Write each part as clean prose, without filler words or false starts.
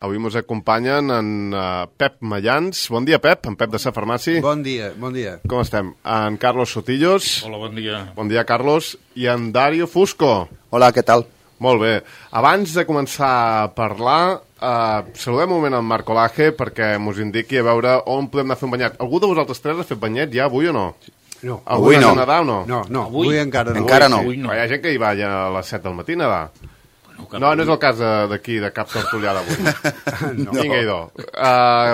Avui ens acompanyen en Pep Mayans. Bon dia, Pep, en Pep de Sa Farmàcia. Bon dia, bon dia. Com estem? En Carlos Sotillos. Hola, bon dia. Bon dia, Carlos. I en Dario Fusco. Hola, què tal? Molt bé. Abans de començar a parlar, saludem un moment en Marco Laje perquè ens indiqui a veure on podem anar a fer un banyat. Algú de vosaltres tres ha fet banyet ja avui o no? No. Avui no. Nedar o no? No, avui encara no. Encara no. Avui no. Hi ha gent que hi va ja a les 7 del matí a nedar. No és el cas d'aquí, de Cap Tortullà d'avui. No. Vinga, idò.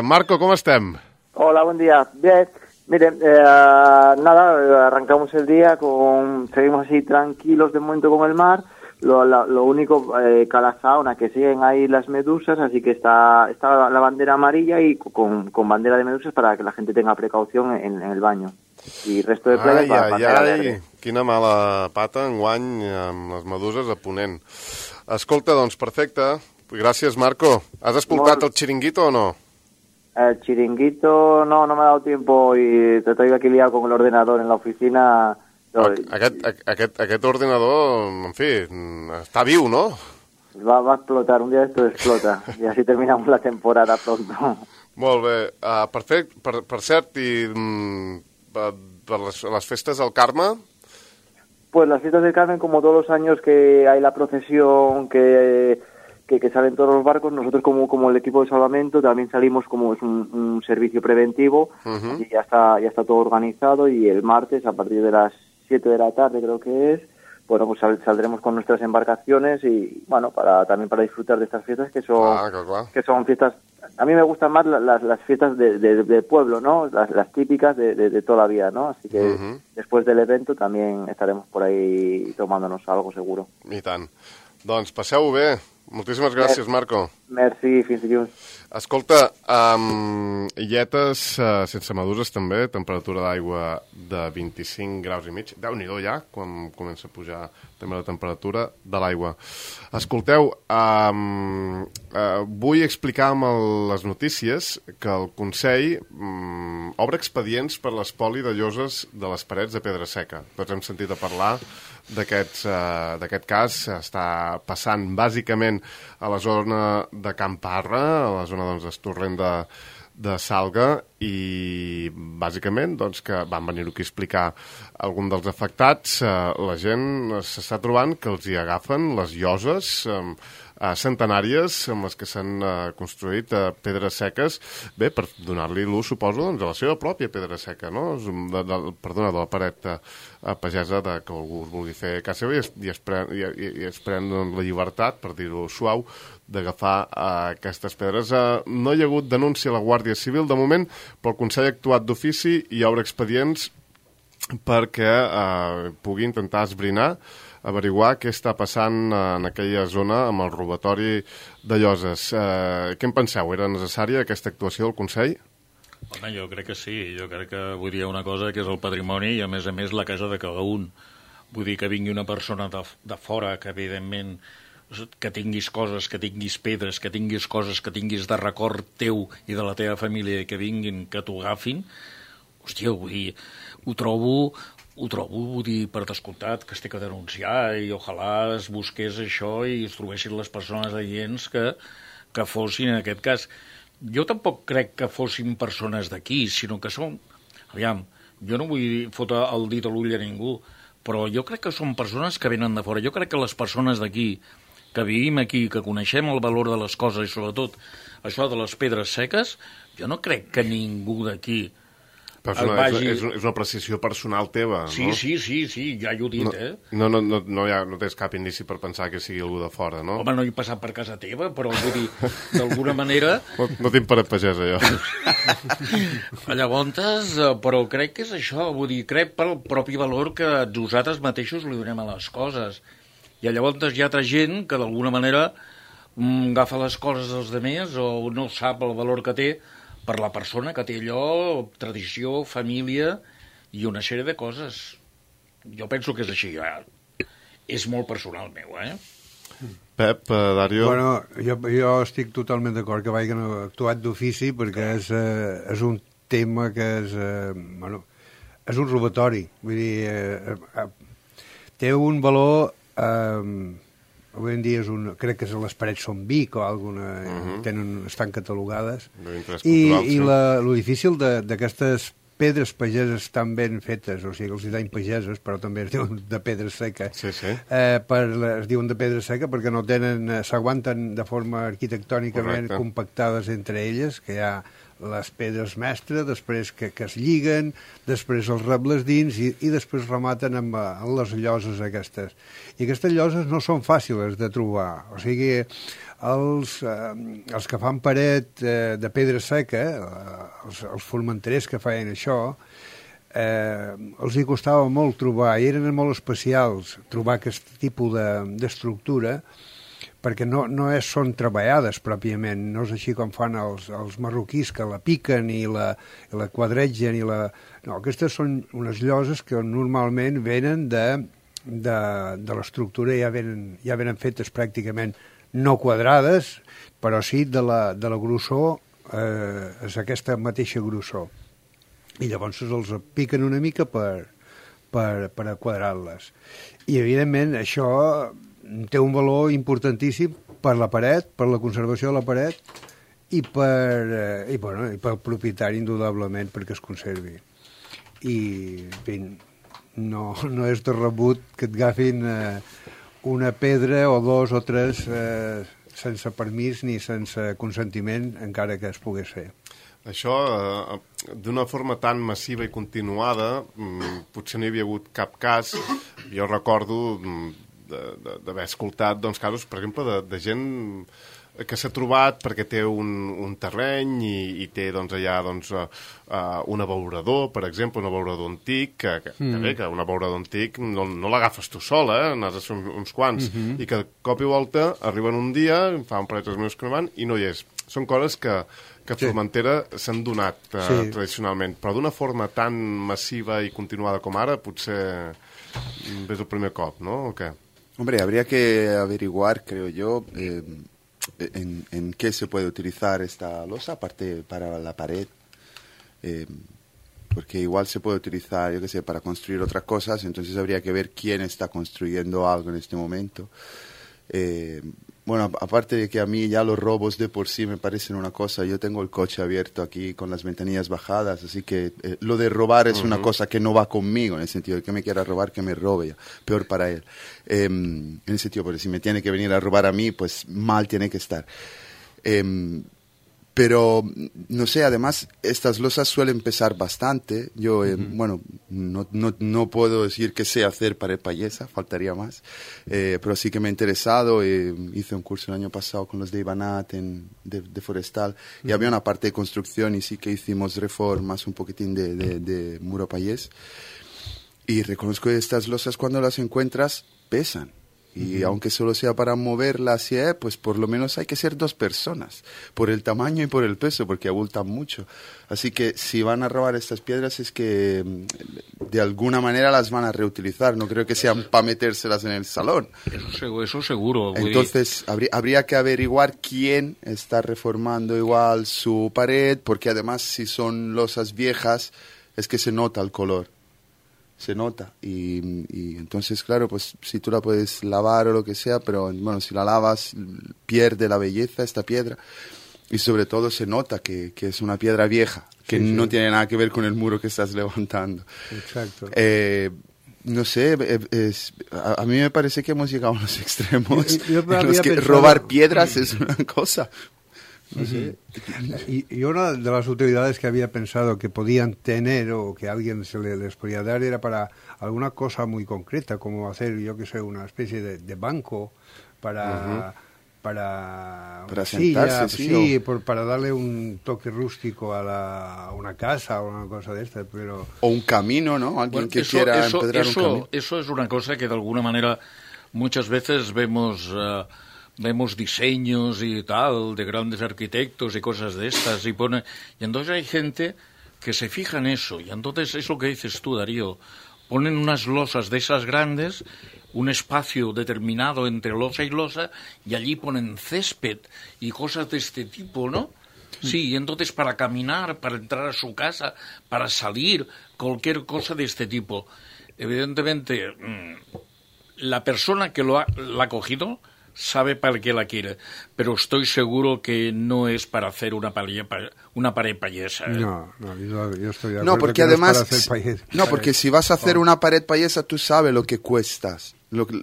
Marco, ¿cómo estem? Hola, buen día. Bien, miren, nada, arrancamos el día, seguimos así tranquilos de momento con el mar. Lo único, Calasaona, que siguen ahí las medusas, así que está la bandera amarilla y con bandera de medusas para que la gente tenga precaución en el baño. I resto de playas para bandera verde. Quina mala pata enguany amb les meduses a Ponent. Escolta, doncs, perfecte. Gràcies, Marco. ¿Has escoltat el chiringuito o no? El chiringuito no me ha dado tiempo y te estoy aquí liado con el ordenador en la oficina. Aquest ordenador, en fi, està viu, no? Va a explotar, un día esto explota y así terminamos la temporada pronto. Molt bé. Per cert, i per les festes del Carme... Pues las fiestas del Carmen, como todos los años que hay la procesión, que salen todos los barcos, nosotros como el equipo de salvamento también salimos como es un servicio preventivo, y ya está todo organizado, y el martes a partir de las 7 de la tarde creo que es, bueno, pues saldremos con nuestras embarcaciones y bueno, también para disfrutar de estas fiestas que son fiestas. A mí me gustan más las fiestas de pueblo, ¿no? Las típicas de toda la vida, ¿no? Así que después del evento también estaremos por ahí tomándonos algo seguro. I tant. Doncs passeu-ho bé. Moltíssimes gràcies, Marco. Merci, fins dilluns. Escolta, illetes sense meduses també, temperatura d'aigua de 25 graus i mig. Déu-n'hi-do ja, quan comença a pujar també la temperatura de l'aigua. Escolteu, vull explicar amb les notícies que el Consell obre expedients per l'espoli de lloses de les parets de Pedra Seca. Tots hem sentit a parlar d'aquest cas. Està passant bàsicament a la zona de Can Parra, a la zona del torrent de Salga, i bàsicament doncs, que van venir aquí a explicar algun dels afectats. La gent s'està trobant que els hi agafen les lloses centenàries amb les que s'han construït pedres seques, bé, per donar-li l'ús, suposo, doncs, a la seva pròpia pedra seca, no? De la paret pagesa que algú es vulgui fer a casa seva i es pren la llibertat, per dir-ho suau, d'agafar aquestes pedres. No hi ha hagut denúncia a la Guàrdia Civil de moment, però el Consell ha actuat d'ofici i obre expedients perquè pugui intentar esbrinar, averiguar què està passant en aquella zona amb el robatori de lloses. Què en penseu? Era necessària aquesta actuació del Consell? Home, jo crec que sí. Jo crec que vull dir una cosa que és el patrimoni i, a més, la casa de cada un. Vull dir que vingui una persona de fora que, evidentment, que tinguis coses, que tinguis pedres, que tinguis coses, que tinguis de record teu i de la teva família i que vinguin, que t'ho agafin. Hòstia, vull dir, ho trobo, vull dir, per descomptat, que es té que denunciar i ojalà es busqués això i es trobessin les persones adients que fossin, en aquest cas. Jo tampoc crec que fossin persones d'aquí, sinó que són... Aviam, jo no vull fotre el dit a l'ull a ningú, però jo crec que són persones que venen de fora. Jo crec que les persones d'aquí, que vivim aquí, que coneixem el valor de les coses i sobretot això de les pedres seques, jo no crec que ningú d'aquí... Però és una apreciació personal teva, no? Sí, ja ho he dit, No tens cap indici per pensar que sigui algú de fora, no? Home, no he passat per casa teva, però vull dir, d'alguna manera... No tinc paret pagesa, jo. Llavors, però crec que és això, vull dir, crec pel propi valor que nosaltres mateixos li donem a les coses. I llavors hi ha altra gent que d'alguna manera agafa les coses dels altres o no sap el valor que té per la persona que té allò, tradició, família i una sèrie de coses. Jo penso que és així. És molt personal meu, Pep, Dario... Bueno, jo estic totalment d'acord que vagin actuat d'ofici perquè és un tema que és... és un robatori. Vull dir, té un valor avui en dia crec que les parets són Vic o alguna, estan catalogades. I lo difícil d'aquestes pedres pageses tan ben fetes, o sigui, els dany pageses, però també es diuen de pedra seca. Sí. Es diuen de pedra seca perquè no tenen, s'aguanten de forma arquitectònicament compactades entre elles, que hi ha les pedres mestres, després que es lliguen, després els rebles dins i després rematen amb les lloses aquestes. I aquestes lloses no són fàcils de trobar. O sigui, els que fan paret de pedra seca, els formenterers que feien això, els hi costava molt trobar, i eren molt especials trobar aquest tipus d'estructura, perquè no són treballades pròpiament, no és així com fan els marroquís, que la piquen i la quadregen. No, aquestes són unes lloses que normalment venen de l'estructura, ja venen fetes pràcticament no quadrades, però sí de la grossor, és aquesta mateixa grossor. I llavors els piquen una mica per quadrar-les. I, evidentment, això té un valor importantíssim per la paret, per la conservació de la paret i pel propietari, indudablement, perquè es conservi. I, en fi, no és de rebut que et agafin una pedra o dos o tres sense permís ni sense consentiment, encara que es pogués fer. Això, d'una forma tan massiva i continuada, potser no hi havia hagut cap cas. Jo recordo d'haver escoltat casos, per exemple, de gent que s'ha trobat perquè té un terreny i té allà un abeurador, per exemple, un abeurador antic, que un abeurador antic no l'agafes tu sol, n'has de ser uns quants, i que de cop i volta arriben un dia, fa un parell de mesos que no van, i no hi és. Són coses que a Formentera s'han donat tradicionalment, però d'una forma tan massiva i continuada com ara, potser és el primer cop, no? ¿O qué? Hombre, habría que averiguar, creo yo, en qué se puede utilizar esta losa, aparte para la pared, porque igual se puede utilizar, yo qué sé, para construir otras cosas, entonces habría que ver quién está construyendo algo en este momento. Bueno, aparte de que a mí ya los robos de por sí me parecen una cosa, yo tengo el coche abierto aquí con las ventanillas bajadas, así que lo de robar es una cosa que no va conmigo, en el sentido de que me quiera robar, que me robe, peor para él. En el sentido, porque si me tiene que venir a robar a mí, pues mal tiene que estar. Pero, no sé, además, estas losas suelen pesar bastante. Yo, bueno, no puedo decir que sé hacer pared payesa, faltaría más. Pero sí que me he interesado. Hice un curso el año pasado con los de Ibanat de Forestal. Y había una parte de construcción y sí que hicimos reformas, un poquitín de muro payés. Y reconozco que estas losas, cuando las encuentras, pesan. Y aunque solo sea para moverlas, pues por lo menos hay que ser dos personas, por el tamaño y por el peso, porque abultan mucho. Así que si van a robar estas piedras es que de alguna manera las van a reutilizar, no creo que sean para metérselas en el salón. Eso seguro. Entonces habría que averiguar quién está reformando igual su pared, porque además si son losas viejas es que se nota el color. Se nota y entonces claro, pues si tú la puedes lavar o lo que sea, pero bueno, si la lavas pierde la belleza esta piedra y sobre todo se nota que es una piedra vieja, que no tiene nada que ver con el muro que estás levantando. Exacto. No sé, a mí me parece que hemos llegado a los extremos yo en los que robar piedras es una cosa. No sé. Y una de las utilidades que había pensado que podían tener o que a alguien les podía dar era para alguna cosa muy concreta, como hacer, yo que sé, una especie de banco para sentarse, silla, para darle un toque rústico a una casa o una cosa de esta, pero... O un camino, ¿no? Alguien que quiera empedrar un camino. Eso es una cosa que de alguna manera muchas veces vemos diseños y tal de grandes arquitectos y cosas de estas y entonces hay gente que se fija en eso y entonces es lo que dices tú, Darío, ponen unas losas de esas grandes, un espacio determinado entre losa y losa y allí ponen césped y cosas de este tipo, ¿no? Sí, y entonces para caminar, para entrar a su casa, para salir, cualquier cosa de este tipo. Evidentemente, la persona que la ha cogido sabe para qué la quiere, pero estoy seguro que no es para hacer una pared payesa. No, yo estoy de acuerdo. No, porque además, no, porque si vas a hacer una pared payesa, tú sabes lo que cuestas.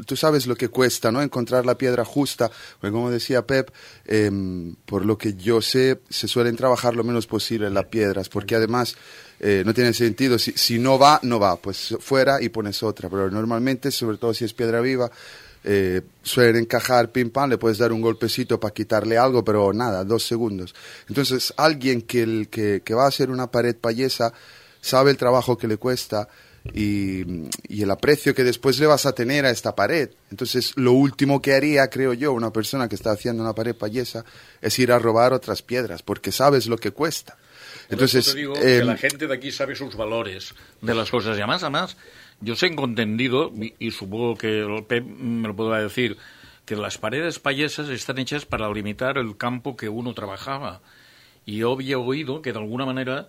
Tú sabes lo que cuesta, ¿no? Encontrar la piedra justa. Porque como decía Pep, por lo que yo sé, se suelen trabajar lo menos posible las piedras, porque además no tiene sentido. Si no va, no va. Pues fuera y pones otra. Pero normalmente, sobre todo si es piedra viva, suelen encajar pim pam, le puedes dar un golpecito para quitarle algo, pero nada, 2 segundos. Entonces, alguien que va a hacer una pared payesa sabe el trabajo que le cuesta y el aprecio que después le vas a tener a esta pared. Entonces, lo último que haría, creo yo, una persona que está haciendo una pared payesa es ir a robar otras piedras, porque sabes lo que cuesta. Entonces, te digo que la gente de aquí sabe sus valores de las cosas. Y además, yo tengo entendido, y supongo que el Pep me lo podrá decir, que las paredes payesas están hechas para limitar el campo que uno trabajaba. Y yo había oído que de alguna manera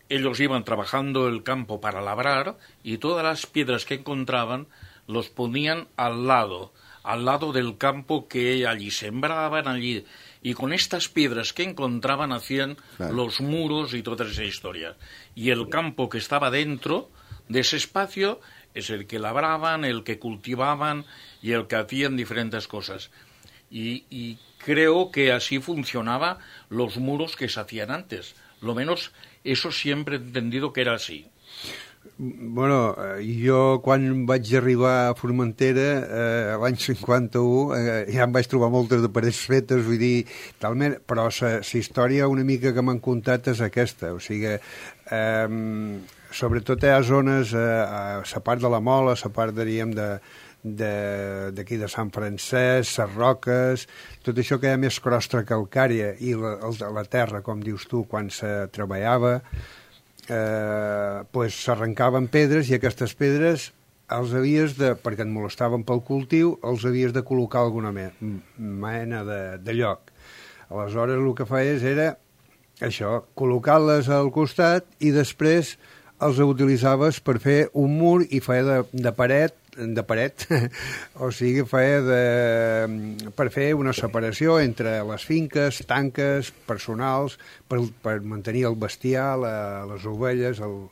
ellos iban trabajando el campo para labrar y todas las piedras que encontraban los ponían al lado del campo que allí sembraban allí. Y con estas piedras que encontraban hacían los muros y toda esa historia. Y el campo que estaba dentro de ese espacio es el que labraban, el que cultivaban y el que hacían diferentes cosas. Y creo que así funcionaba los muros que se hacían antes. Lo menos eso siempre he entendido que era así. Bueno, jo quan vaig arribar a Formentera l'any 51 ja em vaig trobar moltes de parets fetes, vull dir, talment, però la història una mica que m'han contat és aquesta, o sigui, sobretot hi ha zones, a la part de la Mola, a la part, diríem, d'aquí de Sant Francesc, les roques, tot això que hi ha més crostra calcària i la terra, com dius tu, quan se treballava, pues s'arrencaven pedres i aquestes pedres els havies de, perquè et molestaven pel cultiu, els havies de col·locar alguna mena de lloc. Aleshores el que feies era això, col·locar-les al costat i després els utilitzaves per fer un mur i feia de paret, o sigui, feia per fer una separació entre les finques, tanques, personals, per mantenir el bestiar, les ovelles, el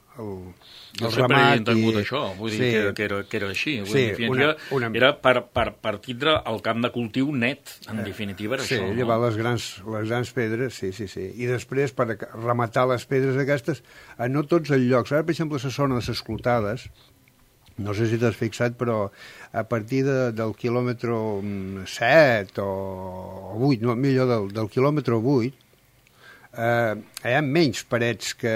jo sempre he entengut això, vull dir que era així. Era per tindre el camp de cultiu net, en definitiva era això. Sí, llevar les grans pedres, sí. I després, per rematar les pedres aquestes, no tots els llocs. Ara, per exemple, la zona de les clotades, no sé si t'has fixat, però a partir del quilòmetre 7 o 8, no, millor del quilòmetre 8, hi ha menys parets que,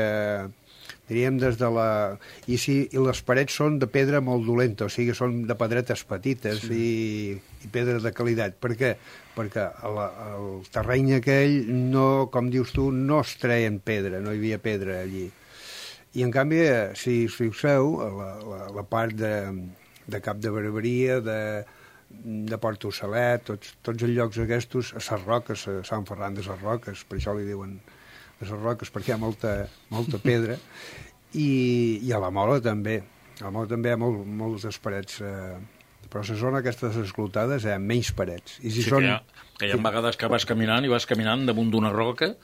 diríem, des de la... I les parets són de pedra molt dolenta, o sigui, són de pedretes petites i pedres de qualitat. Per què? Perquè el terreny aquell, no, com dius tu, no es treien pedra, no hi havia pedra allí. I, en canvi, si us fixeu, la part de Cap de Barberia, de Port Ossalet, tots els llocs aquests, a les roques, a Sant Ferran de les Roques, per això li diuen les roques, perquè hi ha molta pedra, i a la Mola també. A la Mola també hi ha moltes parets, però a la zona aquesta de les clotades hi ha menys parets. I si que hi ha vegades que vas caminant damunt d'una roca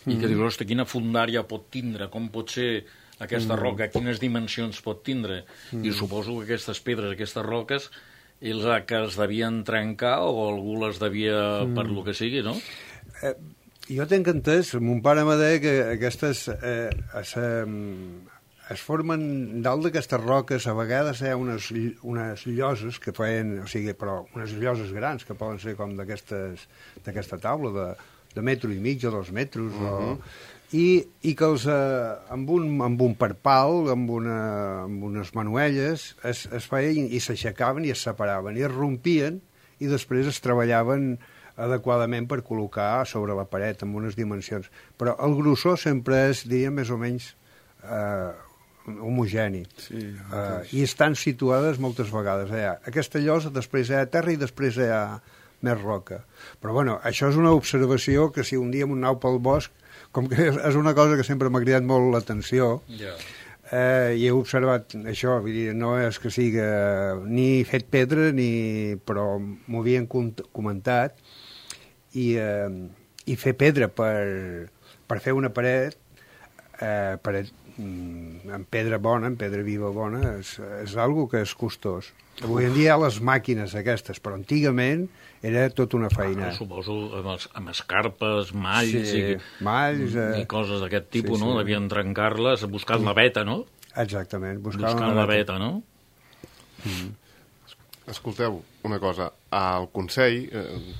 i que dius, hosti, quina fundària pot tindre, com pot ser aquesta roca, quines dimensions pot tindre, i suposo que aquestes pedres, aquestes roques, ells que es devien trencar o algú les devia per lo que sigui, no? Jo tenc entès, mon pare m'ha dit que aquestes es formen dalt d'aquestes roques, a vegades hi ha unes lloses que feien, o sigui, però unes lloses grans que poden ser com d'aquesta taula de metro i mig o 2 metres, i que els, amb un perpal, amb unes manuelles, es feien i s'aixecaven i es separaven, i es rompien, i després es treballaven adequadament per col·locar sobre la paret amb unes dimensions. Però el grossor sempre és, diríem, més o menys homogeni. I estan situades moltes vegades. Aquesta llosa, després hi ha terra i després hi ha més roca. Però, bueno, això és una observació que si un dia m'aneu pel bosc, com que és una cosa que sempre m'ha cridat molt l'atenció, I he observat això, vull dir, no és que siga ni fet pedra, però m'ho havien comentat, i fer pedra per fer una paret, en pedra bona, en pedra viva bona, és algo que és costós. Avui en dia hi ha les màquines aquestes, però antigament era tota una feina. Suposo amb escarpes, malls, malls, i coses d'aquest tipus, no? Devien trencar-les buscant la veta, no? Exactament, buscant la veta, no? Escolteu, una cosa, el Consell,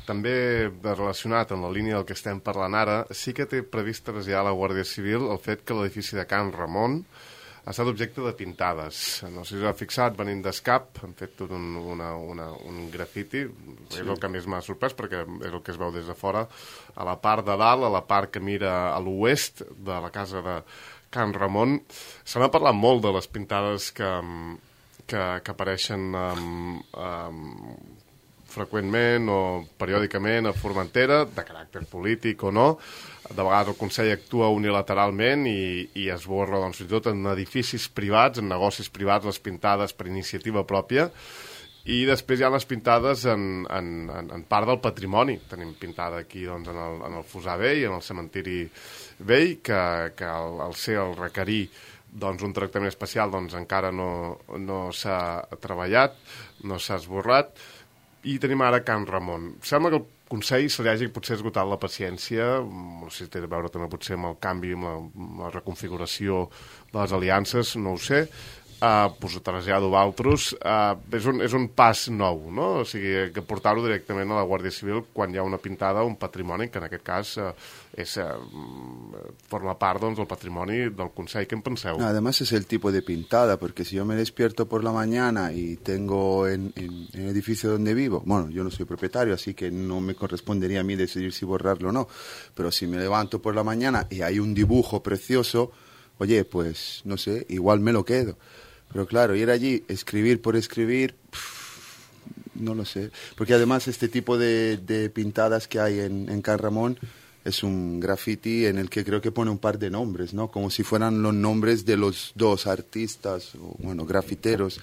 també relacionat en la línia del que estem parlant ara, sí que té previst traslladar a la Guàrdia Civil el fet que l'edifici de Can Ramon ha estat objecte de pintades. No sé si us ha fixat, venint d'Escap, han fet tot un grafiti, és el que més m'ha sorprès, perquè és el que es veu des de fora, a la part de dalt, a la part que mira a l'oest de la casa de Can Ramon. Se n'ha parlat molt de les pintades que apareixen freqüentment o periòdicament a Formentera, de caràcter polític o no. De vegades el Consell actua unilateralment i esborra, doncs, fins i tot en edificis privats, en negocis privats, les pintades per iniciativa pròpia, i després hi ha les pintades en part del patrimoni. Tenim pintada aquí, doncs, en el Fossar Vell, en el cementiri vell, que al ser el requerir doncs, un tractament especial, doncs, encara no s'ha treballat, no s'ha esborrat. I tenim ara Can Ramon. Sembla que el Consell se li hagi potser esgotat la paciència, no sé si té a veure també potser amb el canvi, amb la reconfiguració de les aliances, no ho sé, pues, traslladar-ho a altres. És un pas nou, no? O sigui, que portar-ho directament a la Guàrdia Civil quan hi ha una pintada, un patrimoni, que en aquest cas forma part, doncs, del patrimoni del Consell. ¿Qué penseu? Además es el tipo de pintada, porque si yo me despierto por la mañana y tengo en el edificio donde vivo, bueno, yo no soy propietario, así que no me correspondería a mí decidir si borrarlo o no, pero si me levanto por la mañana y hay un dibujo precioso, oye, pues, no sé, igual me lo quedo. Pero claro, ir allí, escribir por escribir, no lo sé. Porque además este tipo de pintadas que hay en Can Ramon es un graffiti en el que creo que pone un par de nombres, ¿no? Como si fueran los nombres de los dos artistas, o, bueno, grafiteros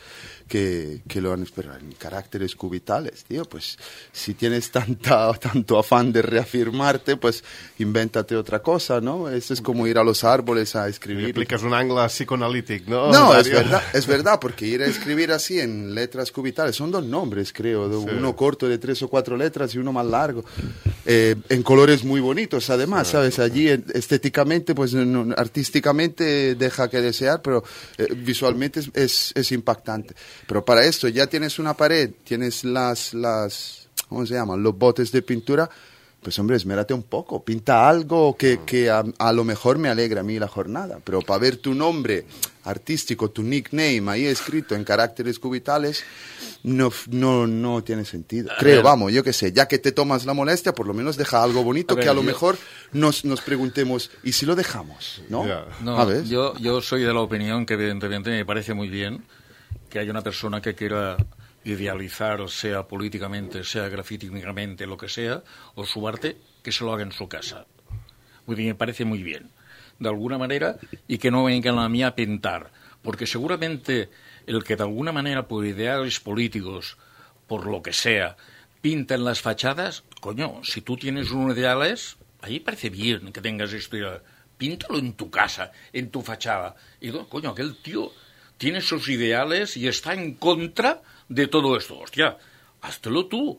que lo han esperado en caracteres cubitales, tío. Pues si tienes tanto afán de reafirmarte, pues invéntate otra cosa, ¿no? Eso es como ir a los árboles a escribir. Y aplicas un ángulo psicoanalítico, ¿no? No, es verdad, porque ir a escribir así en letras cubitales, son dos nombres, creo, sí. Uno corto de 3 o 4 letras y uno más largo, en colores muy bonitos, además, ¿sabes? Allí estéticamente, pues artísticamente deja que desear, pero visualmente es impactante. Pero para esto ya tienes una pared, tienes ¿cómo se llaman? Los botes de pintura, pues hombre, esmérate un poco, pinta algo que a lo mejor me alegra a mí la jornada, pero para ver tu nombre artístico, tu nickname ahí escrito en caracteres cubitales, no tiene sentido. Creo, vamos, yo qué sé, ya que te tomas la molestia, por lo menos deja algo bonito que a lo mejor nos preguntemos, ¿y si lo dejamos? ¿No? Yeah. No, yo soy de la opinión que evidentemente me parece muy bien que haya una persona que quiera idealizar, sea políticamente, sea grafíticamente, lo que sea, o su arte, que se lo haga en su casa. Me parece muy bien, de alguna manera, y que no vengan a mí a pintar, porque seguramente el que de alguna manera por ideales políticos, por lo que sea, pinta en las fachadas, coño, si tú tienes unos ideales, ahí parece bien que tengas esto, píntalo en tu casa, en tu fachada, y coño, aquel tío tiene sus ideales y está en contra de todo esto. Hostia, háztelo tú.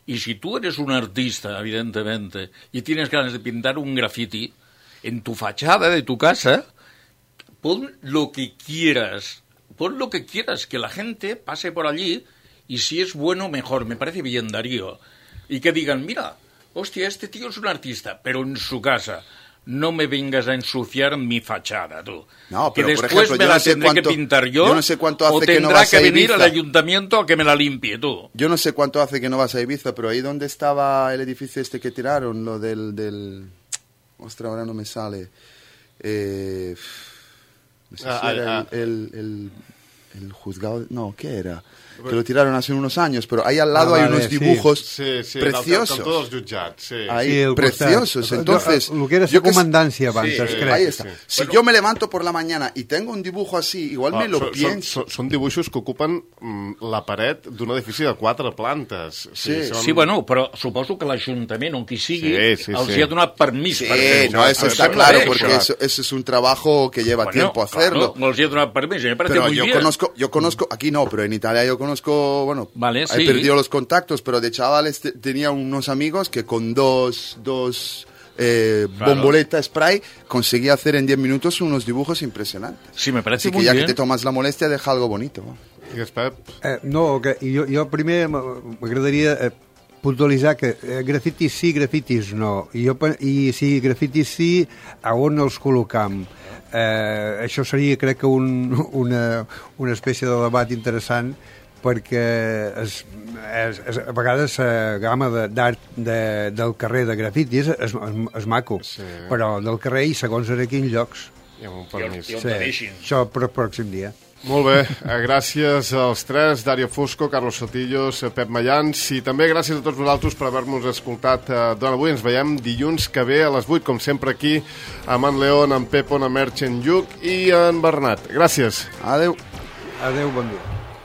Y si tú eres un artista, evidentemente, y tienes ganas de pintar un graffiti, en tu fachada de tu casa, pon lo que quieras. Pon lo que quieras, que la gente pase por allí, y si es bueno, mejor. Me parece bien, Darío. Y que digan, mira, hostia, este tío es un artista, pero en su casa. No me vengas a ensuciar mi fachada, tú. No, pero, que después por ejemplo, me la tendré que pintar yo no sé cuánto hace o que no tendrá vas que a venir Ibiza. al ayuntamiento a que me la limpie, tú. Yo no sé cuánto hace que no vas a Ibiza, pero ahí donde estaba el edificio este que tiraron, lo del... Ostras, ahora no me sale. No sé si era el el juzgado, no, ¿qué era? Que lo tiraron hace unos años, pero ahí al lado hay unos dibujos preciosos. Todos jutjats, sí. Ahí, preciosos. Entonces, lo que era la comandancia abans, ahí está. Si yo me levanto por la mañana y tengo un dibujo así, igual me lo pienso. Són dibuixos que ocupen la paret d'un edifici de 4 plantes. Sí, bueno, però suposo que l'Ajuntament, on qui sigui, els hi ha donat permís per fer-ho. No, eso está claro, porque eso es un trabajo que lleva tiempo hacerlo. No els hi ha donat permís, me parece muy bien. Yo conozco, aquí no, pero en Italia yo conozco, bueno, vale, he perdido los contactos, pero de chavales tenía unos amigos que con dos bomboleta spray conseguía hacer en 10 minutos unos dibujos impresionantes. Sí, me parece muy bien. Así que ya que te tomas la molestia, deja algo bonito. Digues, Pep. No, jo primer m'agradaria puntualitzar que grafitis sí, grafitis no. I si grafitis sí, a on els col·locam? Això seria, crec que, una espècie de debat interessant, perquè a vegades la gamma d'art del carrer de grafitis és maco, però del carrer i segons en quins llocs. I amb un permís. Això per pròxim dia. Molt bé, gràcies als tres, Dario Fusco, Carlos Sotillos, Pep Mayans, i també gràcies a tots vosaltres per haver-nos escoltat durant avui. Ens veiem dilluns que ve a les 8, com sempre aquí, amb en León, en Pepo, en Merch, en Lluc i en Bernat. Gràcies. Adeu. Adeu, bon dia.